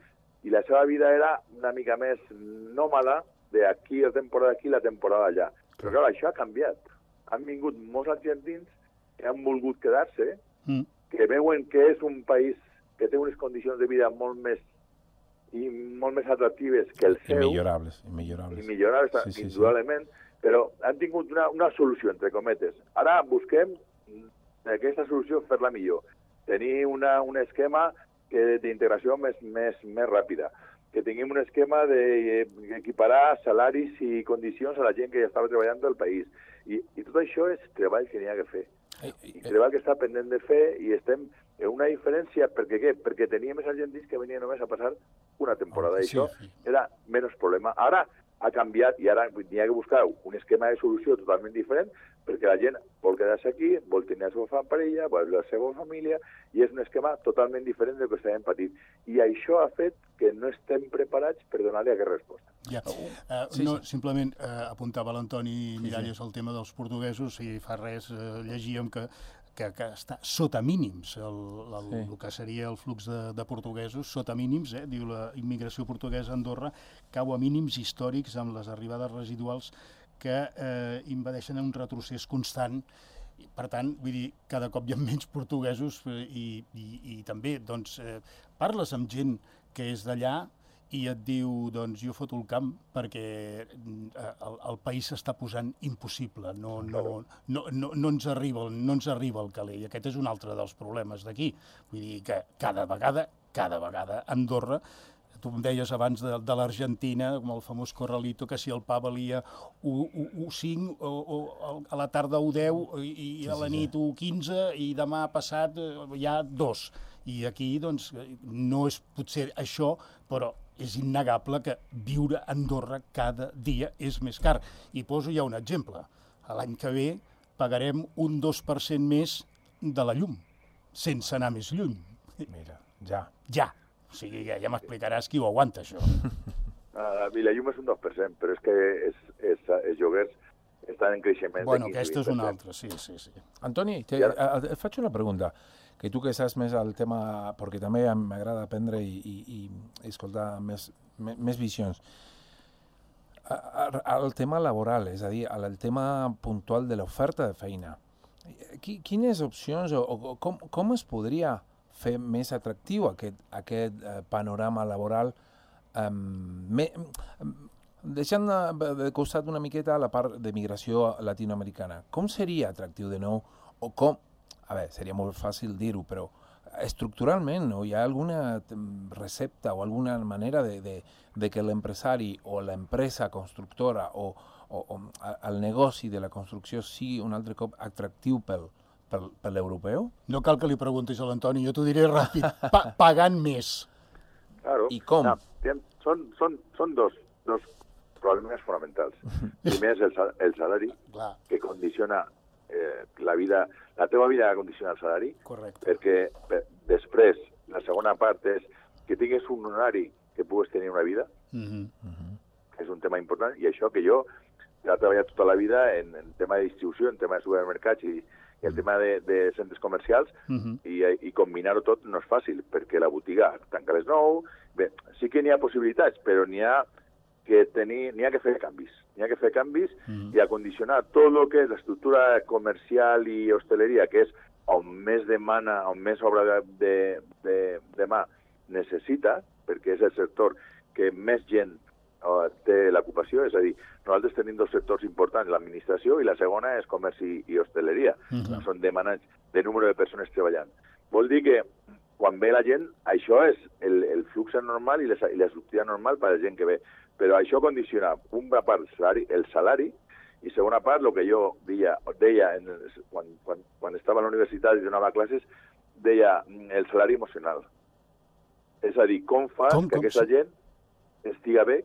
I la seva vida era una mica més nòmada, d'aquí la temporada aquí, la temporada allà. Però clar, això ha canviat. Han vingut molts argentins que han volgut quedar-se, mm. que veuen que és un país que té unes condicions de vida molt més i molt més atractives que el seu. Imillorables, imillorables. Imillorables, sí, sí, indudablement, sí. Però han tingut una, una solució, entre cometes. Ara busquem aquesta solució fer-la millor. Tenir una, un esquema d'integració més, més, més ràpida. Que tinguem un esquema d'equiparar salaris i condicions a la gent que ja estava treballant del país. I, i tot això és treball que n'hi ha que fer. I treball que està pendent de fer i estem en una diferència. Perquè què? Perquè teníem els argentins que venien només a passar una temporada. I això era menys problema. Ara ha canviat i ara n'hi ha que buscar un esquema de solució totalment diferent perquè la gent vol quedar-se aquí, vol tenir la seva parella, vol la seva família, i és un esquema totalment diferent del que estàvem patint. I això ha fet que no estem preparats per donar-li aquesta resposta. Ja. Uh, sí, no, sí. Simplement uh, apuntava l'Antoni Miralles sí, sí. el tema dels portuguesos, i fa res uh, llegíem que Que, que està sota mínims, el, el, sí. el que seria el flux de, de portuguesos, sota mínims, eh? Diu la immigració portuguesa a Andorra cau a mínims històrics amb les arribades residuals que eh, impedeixen un retrocés constant. I, per tant, vull dir, cada cop hi ha menys portuguesos eh, i, i, i també, doncs, eh, parles amb gent que és d'allà i et diu, doncs, jo foto el camp perquè el, el país s'està posant impossible, no, no, no, no, no, ens arriba, no ens arriba el caler, i aquest és un altre dels problemes d'aquí. Vull dir que cada vegada, cada vegada Andorra Tu em deies abans de, de l'Argentina, com el famós Corralito, que si el pa valia u cinc, o, o a la tarda u deu, i, i a la nit u quinze, i demà passat hi ha dos. I aquí, doncs, no és potser això, però és innegable que viure a Andorra cada dia és més car. I poso ja un exemple. L'any que ve pagarem un dos per cent més de la llum, sense anar més lluny. Mira, ja. Ja. O sigui, ja, ja m'explicaràs qui ho aguanta, això. Ah, I la llum és un dos per cent, però és que és, és, els lloguers estan en creixement. Bueno, aquesta és una altra, sí, sí, sí. Antoni, te, ara... et faig una pregunta, que tu que saps més al tema, perquè també m'agrada aprendre i, i, i escoltar més, més visions. El tema laboral, és a dir, el tema puntual de l'oferta de feina. Quines opcions o, o com, com es podria fer més atractiu aquest, aquest eh, panorama laboral, eh, me, deixant de, de costat una miqueta la part de migració latinoamericana. Com seria atractiu de nou? O com, a veure, seria molt fàcil dir-ho, però estructuralment, no? Hi ha alguna recepta o alguna manera de, de, de que l'empresari o l'empresa constructora o, o, o el negoci de la construcció sigui un altre cop atractiu pel Per, per l'europeu? No cal que li preguntis a l'Antoni, jo t'ho diré ràpid, pa pagant més. Claro. I com? No, són, són, són dos, dos problemes fonamentals. Primer és el, el salari, Clar. que condiciona eh, la vida, la teva vida condiciona el salari. Correcte. Perquè per, després, la segona part és que tinguis un horari que puguis tenir una vida, uh-huh. Uh-huh. que és un tema important, i això que jo he treballat tota la vida en, en tema de distribució, en tema de supermercats i i el tema de, de centres comercials, uh-huh. i, i combinar-ho tot no és fàcil, perquè la botiga tanca a les nou. Bé, sí que n'hi ha possibilitats, però n'hi ha que tenir, n'hi ha que fer canvis. N'hi ha que fer canvis uh-huh. i acondicionar tot el que és l'estructura comercial i hosteleria, que és on més demana, on més obra de, de, de, de mà necessita, perquè és el sector que més gent té l'ocupació, és a dir, nosaltres tenim dos sectors importants, l'administració i la segona és comerç i, i hosteleria. Uh-huh. Són demanants de número de persones treballant. Vol dir que quan ve la gent, això és el, el flux normal i, les, i la sortida normal per a la gent que ve. Però això condiciona, una part, el salari, el salari i segona part, el que jo deia, deia en, quan, quan, quan estava a la universitat i donava classes, deia el salari emocional. És a dir, com fas com, que com, aquesta sí. gent estiga bé,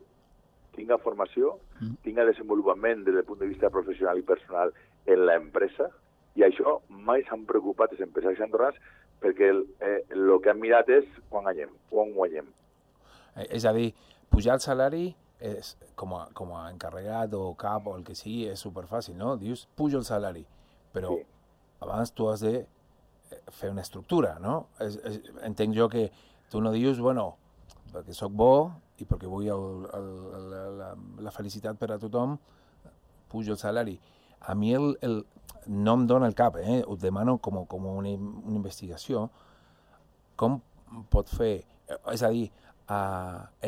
tinga formació, mm. tinga desenvolupament des del punt de vista professional i personal en l'empresa, i això mai s'han preocupat els empresaris andorrans perquè el, eh, el que han mirat és quan guanyem, quan guanyem. Eh, és a dir, pujar el salari és, com, a, com a encarregat o cap o el que sigui, és superfàcil, no? Dius, pujo el salari, però sí. abans tu has de fer una estructura, no? És, és, entenc jo que tu no dius, bueno, perquè sóc bo i perquè vull el, el, el, la, la felicitat per a tothom, pujo el salari. A mi el, el, no em dona el cap, eh? Ho demano com, com una, una investigació. Com pot fer, és a dir, a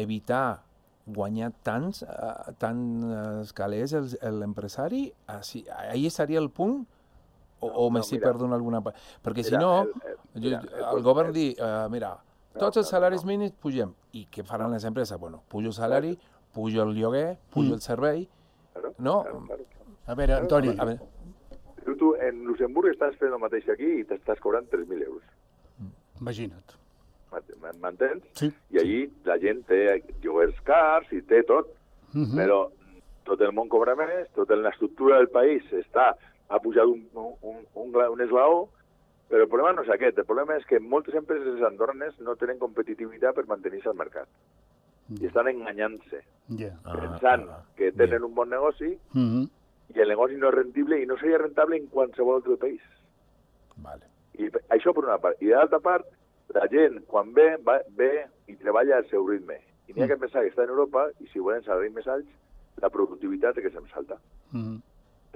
evitar guanyar tants, uh, tants calés l'empresari? Ahí estaria el punt? O, no, o m'estic no, perdent alguna part? Perquè mira, si no, el, el, mira, el, el govern el, dir, uh, mira, tots els salaris mínims pugem. I què faran les empreses? Bueno, pujo el salari, pujo el lloguer, pujo mm. el servei. Claro, no? Claro, claro. A veure, Antoni. A veure. Tu, tu en Luxemburg estàs fent el mateix aquí i t'estàs cobrant tres mil euros. Imagina't. M'entens? Sí. I allí la gent té lloguers cars i té tot. Mm-hmm. Però tot el món cobra més, tota l'estructura del país està, ha pujat un, un, un, un eslaó. Però el problema no és aquest. El problema és que moltes empreses andorranes no tenen competitivitat per mantenir-se al mercat. Yeah. I estan enganyant-se. Yeah. Pensant ah, ah, que tenen yeah. un bon negoci mm-hmm. i el negoci no és rendible i no seria rentable en qualsevol altre país. Vale. I això per una part. I d'altra part, la gent, quan ve, va, ve i treballa al seu ritme. I n'hi ha mm. que pensar que està en Europa i si volen salaris més alts, la productivitat és que se'm salta. Mm-hmm.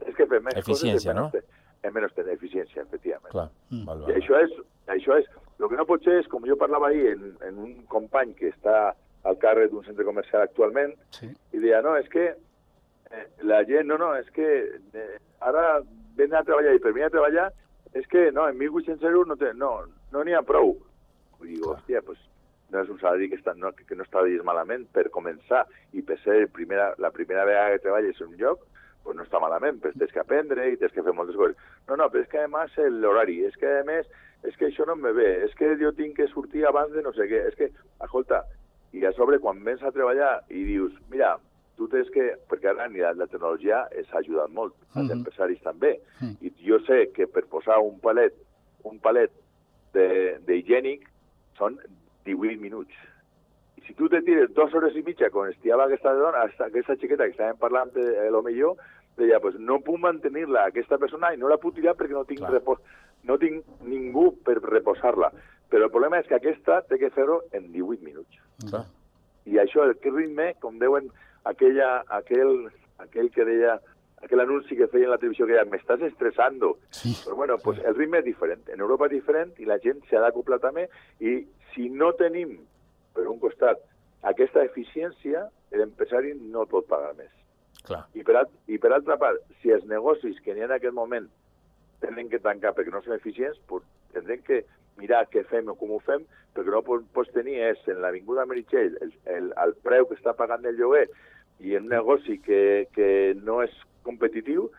És que fer més Eficiència, coses... Eficiència, no? En menys tenir eficiència, efectivament. Clar. Mm. Val, val, I això és, això és, el que no pot ser és, com jo parlava ahir en, en un company que està al càrrec d'un centre comercial actualment, sí. i deia, no, és que eh, la gent, no, no, és que eh, ara ven a treballar i per venir a treballar, és que no, en mil vuit-cents euros no n'hi no, no ha prou. I dic, hòstia, pues, no és un salari que, està, no, que no està dins malament per començar i per ser el primera, la primera vegada que treballes en un lloc, pues no està malament, però tens que aprendre i tens que fer moltes coses. No, no, però és que a més l'horari, és que a més, és que això no em ve, és que jo tinc que sortir abans de no sé què, és que, escolta, i a sobre quan vens a treballar i dius, mira, tu tens que, perquè ara ni la, la tecnologia ens ha ajudat molt, als mm -hmm. empresaris també, mm -hmm. i jo sé que per posar un palet, un palet d'higiènic són divuit minuts. I si tu te tires dues hores i mitja quan estiava aquesta dona, aquesta xiqueta que estàvem parlant de lo millor, deia, pues no puc mantenir-la, aquesta persona, i no la puc tirar perquè no tinc, repos, no tinc ningú per reposar-la. Però el problema és que aquesta té que fer-ho en divuit minuts. Clar. I això, el ritme, com deuen aquella, aquell, aquell que deia, aquell anunci que feia en la televisió que deia, m'estàs estressando. Sí. Però bueno, pues el ritme és diferent. En Europa és diferent i la gent s'ha d'acoplar també, i si no tenim, per un costat, aquesta eficiència, l'empresari no pot pagar més. Clar. I per, I per altra part, si els negocis que n'hi ha en aquest moment tenen que tancar perquè no són eficients, pues tindrem que mirar què fem o com ho fem, perquè no pots tenir és en l'Avinguda Meritxell el, el, el preu que està pagant el lloguer i en un negoci que, que no és competitiu,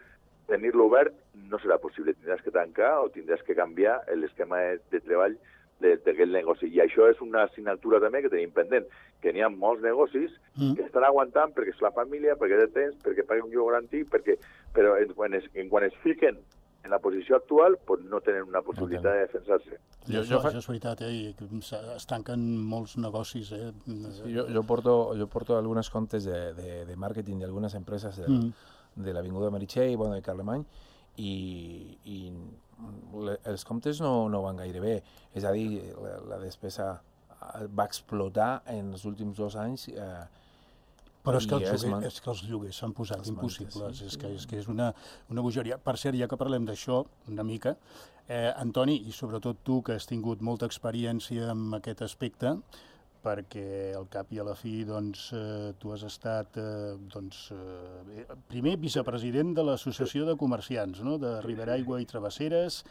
tenir-lo obert no serà possible. Tindràs que tancar o tindràs que canviar l'esquema de, de treball d'aquest negoci. I això és una assignatura també que tenim pendent, que n'hi ha molts negocis mm. que estan aguantant perquè és la família, perquè té temps, perquè paguen un lloc garantit, perquè, però en, quan es, en quan es fiquen en la posició actual, pues no tenen una possibilitat no de defensar-se. Jo, jo, això és veritat, eh? Es tanquen molts negocis. Eh? Sí, jo, jo, porto, jo porto algunes comptes de, de, de màrqueting d'algunes empreses del, mm. de l'Avinguda Meritxell, bueno, de Carlemany, i, i le, els comptes no, no van gaire bé. És a dir, la, la despesa va explotar en els últims dos anys. Eh, Però és que, els lloguers, és que els lloguers s'han posat impossibles, mantes, sí. és que és, que és una, una bogeria. Per cert, ja que parlem d'això una mica, eh, Antoni, i sobretot tu, que has tingut molta experiència en aquest aspecte, perquè al cap i a la fi doncs, eh, tu has estat eh, doncs, eh, primer vicepresident de l'Associació de Comerciants, no? De Riberaigua i Travesseres,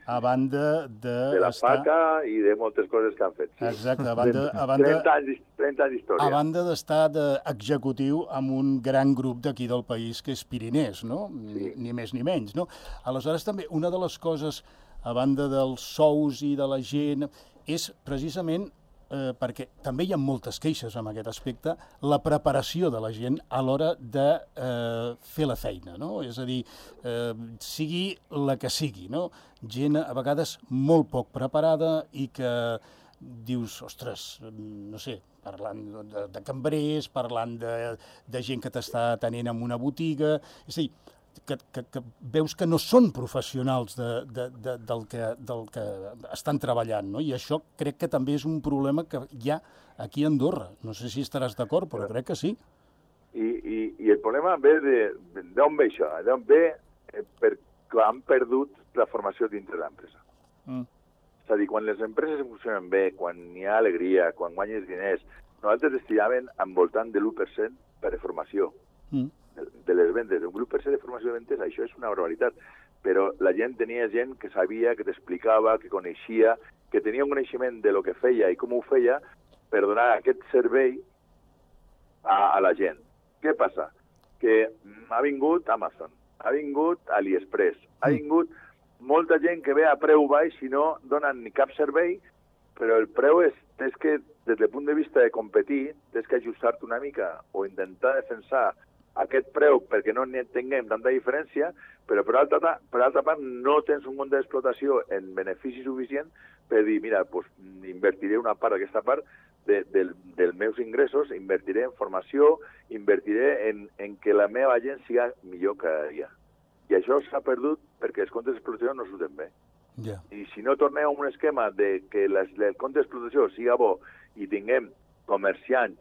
a banda de... De la estar... faca i de moltes coses que han fet. Sí. Exacte, a banda... A banda trenta anys, trenta anys d'història. A banda d'estar d'executiu amb un gran grup d'aquí del país que és Pirinès, no? Sí. Ni més ni menys, no? Aleshores, també, una de les coses, a banda dels sous i de la gent, és precisament eh, perquè també hi ha moltes queixes en aquest aspecte, la preparació de la gent a l'hora de eh, fer la feina, no? És a dir, eh, sigui la que sigui, no? Gent a vegades molt poc preparada i que dius, ostres, no sé, parlant de, de cambrers, parlant de, de gent que t'està atenent en una botiga, és a dir, que, que, que veus que no són professionals de, de, de, del, que, del que estan treballant, no? I això crec que també és un problema que hi ha aquí a Andorra. No sé si estaràs d'acord, però crec que sí. I, i, i el problema ve de... d'on ve això? D'on ve eh, perquè han perdut la formació dintre l'empresa. Mm. És a dir, quan les empreses funcionen bé, quan hi ha alegria, quan guanyes diners, nosaltres estiraven al voltant de l'u per cent per formació. Mm. de les vendes, un grup per cent de formació de vendes, això és una barbaritat, però la gent tenia gent que sabia, que t'explicava, que coneixia, que tenia un coneixement de lo que feia i com ho feia per donar aquest servei a, a la gent. Què passa? Que ha vingut Amazon, ha vingut AliExpress, ha vingut molta gent que ve a preu baix i no donen ni cap servei, però el preu és, és que des del punt de vista de competir, tens que ajustar-te una mica o intentar defensar aquest preu perquè no tinguem tanta diferència, però per altra, per altra part no tens un munt d'explotació en benefici suficient per dir, mira, pues, invertiré una part d'aquesta part de, de, dels meus ingressos, invertiré en formació, invertiré en, en que la meva gent siga millor cada dia. I això s'ha perdut perquè els comptes d'explotació no surten bé. Yeah. I si no tornem a un esquema de que les, el compte d'explotació siga bo i tinguem comerciants,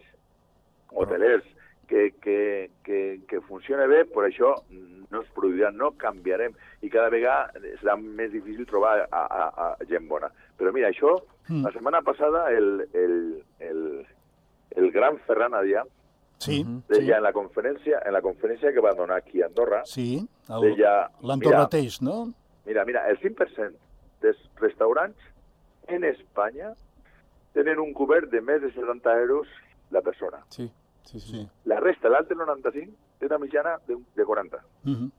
hotelers, Que, que, que, que funcione bé, per això no es produirà, no canviarem i cada vegada serà més difícil trobar a, a, a gent bona. Però mira, això, mm. la setmana passada el, el, el, el gran Ferran Adrià sí, deia sí. en la conferència en la conferència que va donar aquí a Andorra, sí, l'Andorra Teix, no? Mira, mira, el cinc per cent dels restaurants en Espanya tenen un cobert de més de setanta euros la persona. Sí, sí, sí. Sí. La resta, l'altre noranta-cinc, té una mitjana de, de quaranta. Uh -huh.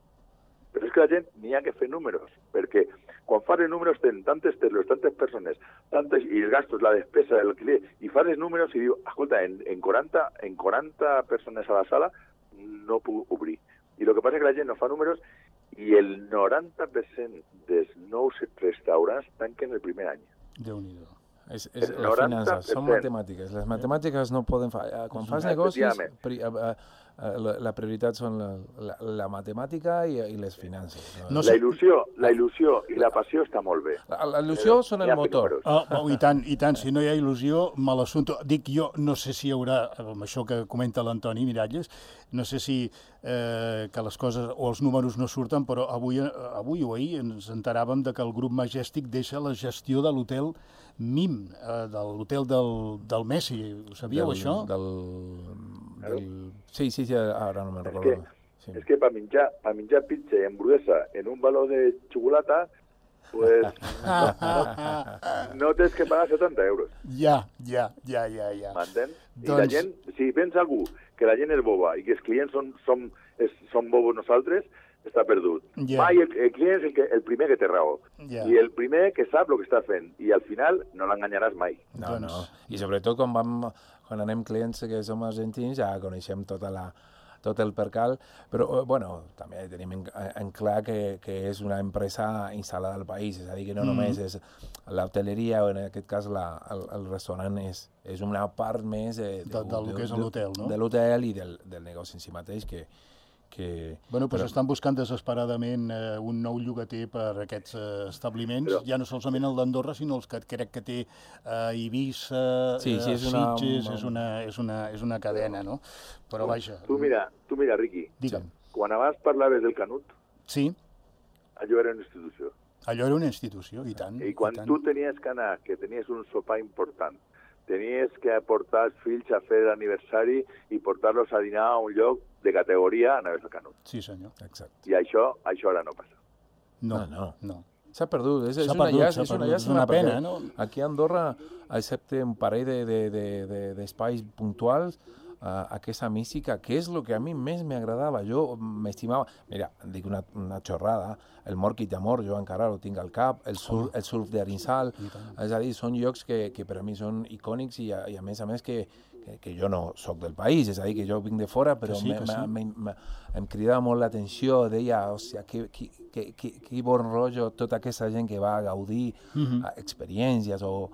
Però és que la gent n'hi ha que fer números, perquè quan fas els números tenen tantes teles, tantes persones, tantes, i els gastos, la despesa, el client, i fas els números i diu, escolta, en, en, quaranta, en quaranta persones a la sala no puc obrir. I el que passa és que la gent no fa números i el noranta per cent dels nous restaurants tanquen el primer any. Déu-n'hi-do. És, és les finances, són matemàtiques. Les matemàtiques no poden fallar. Quan fas negocis, pri, a, a, a, la, la prioritat són la, la, la matemàtica i, i les finances. No? No sé. La il·lusió, la il·lusió i la passió està molt bé. La, la il·lusió Però, són el motor. Oh, oh, I tant, i tant. Si no hi ha il·lusió, mal assumpte. Dic jo, no sé si hi haurà, amb això que comenta l'Antoni Miralles, no sé si eh, que les coses o els números no surten, però avui, avui o ahir ens enteràvem de que el grup Majestic deixa la gestió de l'hotel Mim, eh, de l'hotel del, del Messi. Ho sabíeu, del, això? Del, del... Sí, sí, sí, ara no me'n recordo. És que, sí. és que per menjar, per menjar pizza i hamburguesa en un baló de xocolata, pues, no, no, no tens que pagar setanta euros. Ja, ja, ja, ja. ja. M'entens? Doncs... I la gent, si pensa algú que la gent és boba i que els clients són, són, és, són bobos nosaltres, està perdut. Yeah. Mai el, el client és el, que, el primer que té raó. Yeah. I el primer que sap el que està fent. I al final no l'enganyaràs mai. No, doncs... no. I sobretot quan, vam, quan anem clients que som argentins ja coneixem tota la, tot el percal, però bueno, també tenim en, en clar que, que és una empresa instal·lada al país, és a dir, que no mm. només és l'hoteleria o en aquest cas la, el, el restaurant és, és una part més de, de, de, del de, que és l'hotel, no? De l'hotel i del, del negoci en si mateix que Que, bueno, doncs però... estan buscant desesperadament eh, un nou llogater per a aquests eh, establiments, però... ja no solament el d'Andorra, sinó els que crec que té eh, Eivissa, sí, sí, eh, és una... Sitges, és una, és, una, és una cadena, no? Però vaja... Tu mira, tu mira Riqui, Digue'm. Quan abans parlaves del Canut, sí. allò era una institució. Allò era una institució, i tant. I quan i tant. tu tenies que anar, que tenies un sopar important, tenies que portar els fills a fer l'aniversari i portar-los a dinar a un lloc de categoria, anaves al Canut. Sí, senyor. Exacte. I això, això ara no passa. No, no. no. S'ha perdut, és, és, perdut, una, llàstima, és una llàstima. És una pena, no? Aquí a Andorra, excepte un parell d'espais de, de, de, de puntuals, uh, aquesta mística, que és el que a mi més m'agradava. Jo m'estimava... Mira, dic una, una xorrada, el Morquit d'Amor, jo encara ho tinc al cap, el surf, el surf d'Arinsal, és a dir, són llocs que, que per a mi són icònics i a, i a més a més que Que, que jo no sóc del país, és a dir, que jo vinc de fora, però sí, me, sí. me, me, em cridava molt l'atenció, deia, hòstia, que, que, que, que, que bon rotllo tota aquesta gent que va a gaudir uh-huh. a experiències o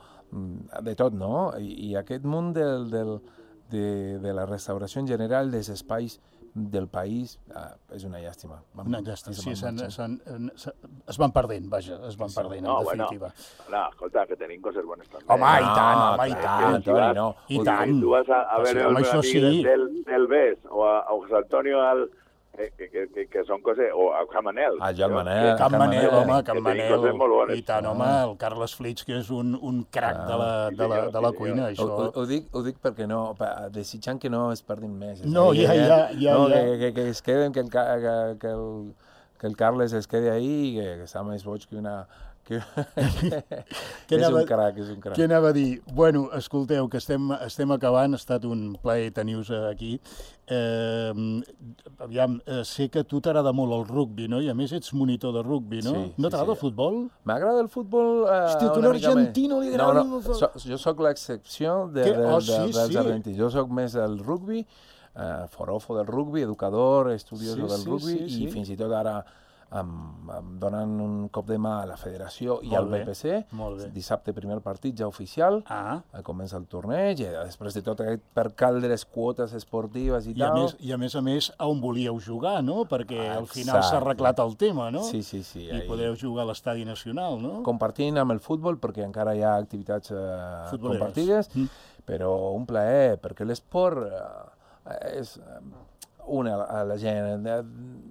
de tot, no? I, i aquest món del, del, de, de la restauració en general, dels espais del país, ah, és una llàstima. Vam, una llàstima, sí, s'han, s'han, es van perdent, vaja, es van perdent, no, en definitiva. Bueno, no, escolta, que tenim coses bones també. Home, i tant, home, i tant, Toni, no. I tant. Tu vas a, a veure el amic sí. del, del B E S o a, a José Antonio al... Que, que, que, que són coses... O a Can Manel. Ah, Can Manel. Can Manel, home, Can Manel. I tant, home, el Carles Flix, que és un, un crac de la, de la, de la cuina, això. Ho, ho, dic, ho dic perquè no, desitjant que no es perdin més. No, ja, ja, ja. No, que, que, que es queden, que el, que, que el, que el Carles es quedi ahí i que, que està més boig que una... Que, que és un crac, és un crac. Què anava a dir? Bueno, escolteu, que estem, estem acabant, ha estat un plaer tenir-vos aquí. Eh, aviam, sé que a tu t'agrada molt el rugbi, no? I a més ets monitor de rugbi, no? Sí, no t'agrada sí, el futbol? M'agrada el futbol eh, Hòstia, tu una l'argentino li agrada... No, no, so, jo sóc l'excepció de, de, oh, de, sí, dels sí. argentins. Jo sóc més del rugbi, eh, forofo del rugbi, educador, estudioso sí, del rugbi, sí, sí, i sí. fins i tot ara em, em donen un cop de mà a la federació i molt al bé, B P C. Dissabte primer partit ja oficial, ah. comença el torneig, i després de tot aquest percal de les quotes esportives i, I tal... A més, I a més a més, a on volíeu jugar, no? Perquè ah, al final s'ha arreglat el tema, no? Sí, sí, sí. I ahí... podeu jugar a l'Estadi Nacional, no? Compartint amb el futbol, perquè encara hi ha activitats eh, compartides, mm. però un plaer, perquè l'esport eh, és... une a la gent.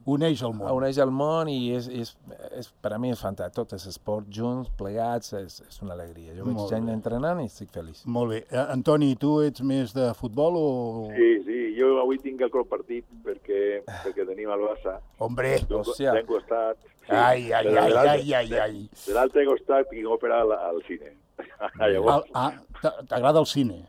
Uneix el món. Uneix el món i és, és, és, per a mi és fantàstic. Tots els esports junts, plegats, és, és una alegria. Jo veig gent entrenant i estic feliç. Molt bé. Eh, Antoni, tu ets més de futbol o...? Sí, sí. Jo avui tinc el cop partit perquè, perquè tenim el Barça. Hombre! D'un costat. Sí, ai, ai, ai, ai, ai, ai. De l'altre costat tinc òpera al, al cine. Llavors, ah, T'agrada el cine?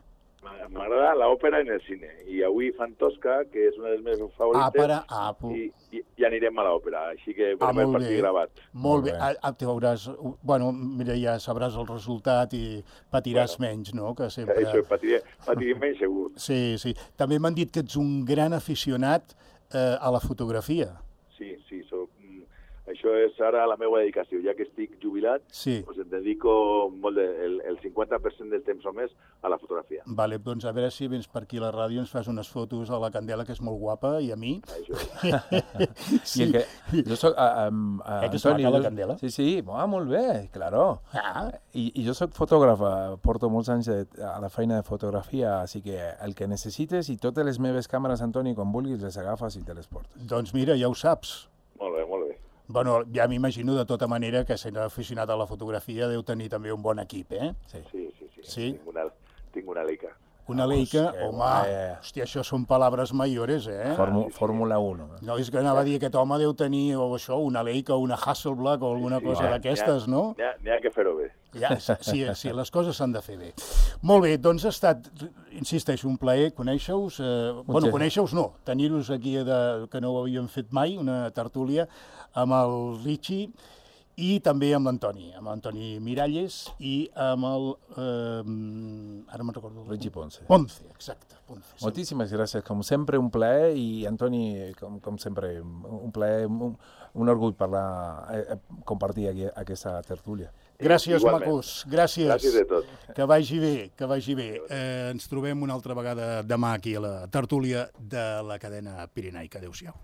M'agrada l'òpera en el cine. I avui fan Tosca, que és una de les meves favorites, Àpera, ah, i, i, i anirem a l'òpera. Així que Ah, veurem el molt partit bé. gravat. Molt bé. Ah, ah, te veuràs... Bueno, mira, ja sabràs el resultat i patiràs Bueno, menys, no? Que sempre... Això, patiré, patiré menys segur. Sí, sí. També m'han dit que ets un gran aficionat eh, a la fotografia. Sí, sí, soc, mm, això és ara la meva dedicació. Ja que estic jubilat, Sí. doncs em dedico molt de, el, el cinquanta per cent del temps o més a la fotografia. Vale, doncs a veure si vens per aquí a la ràdio, ens fas unes fotos a la Candela, que és molt guapa, i a mi. Això. I el que, jo soc... Uh, um, uh, Eh, que està Antoni, a la jo- Candela? Sí, sí, ah, molt bé, claro. Ah, I, I jo soc fotògraf, eh, porto molts anys de, a la feina de fotografia, així que el que necessites i totes les meves càmeres, Antoni, quan vulguis, les agafes i te les portes. doncs mira, ja ho saps. Molt bé, molt bé. Bueno, ja m'imagino de tota manera que sent aficionat a la fotografia deu tenir també un bon equip, eh? Sí. Sí, sí, sí. Sí? Tinc una, tinc una Leica. Una Vamos, Leica, que home, guai. hòstia, això són palabres mayores, eh? Fórmu, Fórmula uno. No, és que anava a dir, aquest home deu tenir o això, una Leica o una Hasselblad o alguna cosa n'hi ha- d'aquestes, n'hi ha- no? N'hi ha, n'hi ha que fer-ho bé. Ja, sí, sí, les coses s'han de fer bé. Molt bé, doncs ha estat, insisteixo, un plaer conèixer-vos. Eh, bueno, conèixer-vos no, tenir-vos aquí, de, que no ho havíem fet mai, una tertúlia amb el Richie i també amb l'Antoni, amb l'Antoni Miralles i amb el... Eh, ara me'n recordo. Richie Ponce. Ponce, exacte. Ponce, sí. Moltíssimes gràcies, com sempre un plaer i Antoni, com, com sempre, un plaer, un, un orgull parlar, eh, compartir aquí, aquesta tertúlia. Gràcies, Igualment. macos. Gràcies. Gràcies de tot. Que vagi bé, que vagi bé. Eh, ens trobem una altra vegada demà aquí a la tertúlia de la cadena Pirinaica. Adéu-siau.